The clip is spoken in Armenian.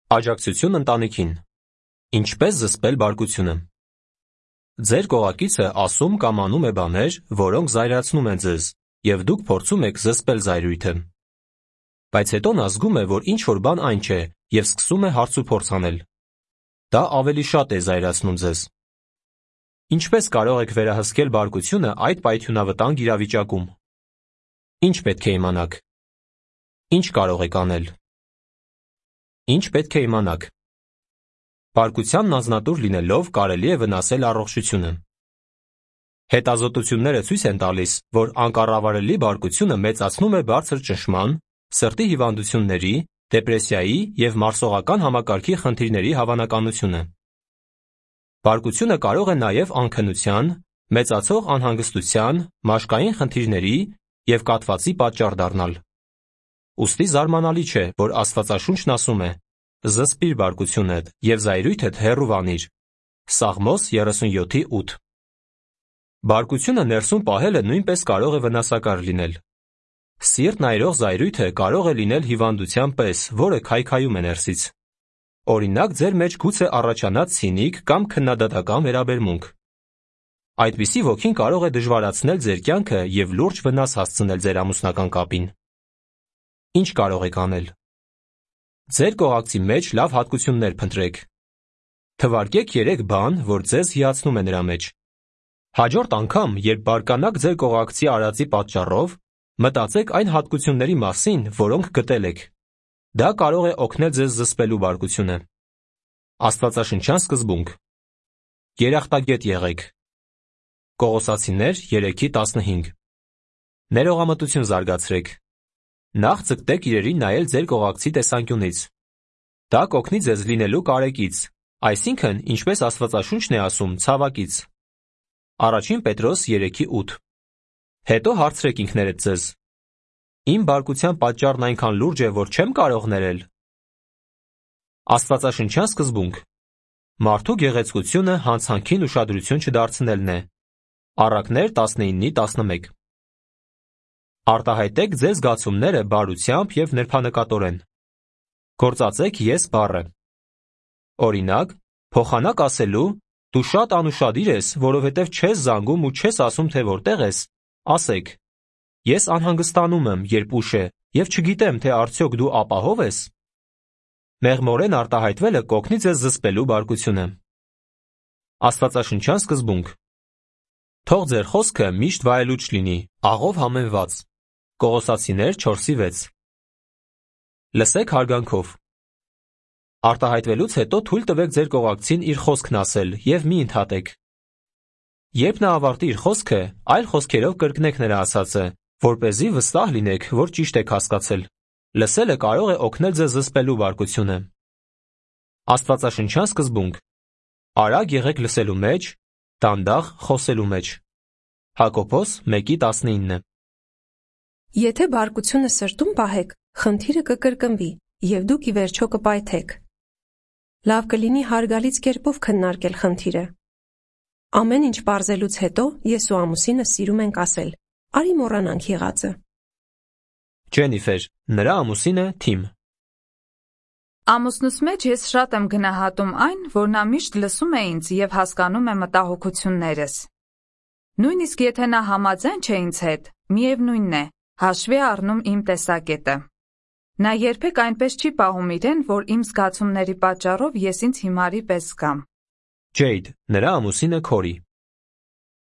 Աջակցություն ընտանիքին։ Ինչպես զսպել բարկությունը։ Ձեր կողակիցը ասում կամ անում է բաներ, որոնք զայրացնում են ձեզ, և դուք փորձում եք զսպել զայրույթը։ Բայց հետո նա զգում է, որ ինչ-որ բան այն չէ, և սկսում է հարցուփորձ անել։ Դա ավելի շատ է զայրացնում ձեզ։ Ինչպես կարող եք վերահսկել բարկությունը այդ պայթյունավտանգ իրավիճակում։ Ինչ պետք է իմանաք։ Ինչ կարող եք անել։ Ինչ պետք է իմանաք։ Բարկությանն անձնատուր լինելով կարելի է վնասել առողջությունը։ Հետազոտությունները ցույց են տալիս, որ անկառավարելի բարկությունը մեծացնում է բարձր ճնշման, սրտի հիվանդությունների, դեպրեսիայի և մարսողական համակարգի խնդիրների հավանականությունը։ Բարկությունը կարող է նաև անքնության, մեծացող անհանգստության, մաշկային խնդիրների և կաթվածի պատճառ դառնալ։ Ուստի զարմանալի չէ, որ Աստվածաշունչն ասում է. «Զսպիր բարկությունդ և զայրույթդ հեռու վանիր» Սաղմոս 37:8։ Բարկությունը ներսում պահելը նույնպես կարող է վնասակար լինել։ Սիրտն այրող զայրույթը կարող է լինել հիվանդության պես, որը քայքայում է ներսից։ Օրինակ, ձեր մեջ գուցե առաջանա ցինիկ կամ քննադատական վերաբերմունք։ Այդպիսի ոգին կարող է դժվարացնել ձեր կյանքը և լուրջ վնաս հասցնել ձեր ամուսնական կապին։ Ինչ կարող եք անել։ Ձեր կողակցի մեջ լավ հատկություններ փնտրեք։ Թվարկեք 3 բան, որ ձեզ հիացնում է նրա մեջ։ Հաջորդ անգամ, երբ բարկանաք ձեր կողակցի արածի պատճառով, մտածեք այն հատկությունների մասին, որոնք գտել եք։ Դա կարող է օգնել ձեզ զսպելու բարկությունը։ Աստվածաշնչյան սկզբունք։ Երախտագետ եղեք։ Կողոսացիներ 3:15։ Ներողամտություն զարգացրեք։ Նախ ձգտեք իրերին նայել ձեր կողակցի տեսանկյունից։ Դա կօգնի ձեզ լինելու կարեկից, այսինքն, ինչպես Աստվածաշունչն է ասում, ցավակից։ Առաջին Պետրոս 3:8։ Հետո հարցրեք ինքներդ ձեզ. իմ բարկության պատճառն այնքան լուրջ է, որ չեմ կարող ներել։ Աստվածաշնչյան սկզբունք։ Մարդու գեղեցկությունը հանցանքին ուշադրություն չդարձնելն է։ Առակներ 19:11։ Արտահայտեք ձեր զգացումները բարությամբ և նրբանկատորեն։ Գործածեք ես բառը։ Օրինակ, փոխանակ ասելու «դու շատ անուշադիր ես, որովհետև չես զանգում ու չես ասում, թե որտեղ ես», ասեք. ես անհանգստանում եմ, երբ ուշ է, և չգիտեմ, թե արդյոք դու ապահո՞վ ես։ Մեղմորեն արտահայտվելը կօգնի ձեզ զսպելու բարկությունը։ Աստվածաշնչյան սկզբունք։ Թող ձեր խոսքը միշտ վայելուչ լինի, աղով համեմված։ Կողոսացիներ 4:6։ Լսեք հարգանքով։ Արտահայտվելուց հետո թույլ տվեք ձեր կողակցին իր խոսքն ասել և մի ընդհատեք։ Երբ նա ավարտի իր խոսքը, այլ խոսքերով կրկնեք նրա ասածը, որպեսզի վստահ լինեք, որ ճիշտ եք հասկացել։ Լսելը կարող է օգնել ձեզ զսպելու բարկությունը։ Աստվածաշնչյան սկզբունք։ Արագ եղեք լսելու մեջ, դանդաղ խոսելու մեջ։ Հակոբոս 1:19։ Եթե բարկությունը սրտում պահեք, խնդիրը կկրկնվի, և դուք ի վերջո կպայթեք։ Լավ կլինի հարգալից կերպով քննարկել խնդիրը։ Ամեն ինչ պարզելուց հետո ես ու ամուսինս սիրում ենք ասել. արի մոռանանք եղածը։ Ջենիֆեր, նրա ամուսինը Թիմ։ Ամուսնուս մեջ ես շատ եմ գնահատում այն, որ նա միշտ լսում է ինձ և հասկանում է մտահոգություններս։ Նույնիսկ եթե նա համաձայն չէ ինձ հետ, միևնույնն է, հաշվի է առնում իմ տեսակետը։ Նա երբեք այնպես չի պահում իրեն, որ իմ զգացումների պատճառով ես ինձ հիմարի պես զգամ։ Ջեյդ, նրա ամուսինը Քորի։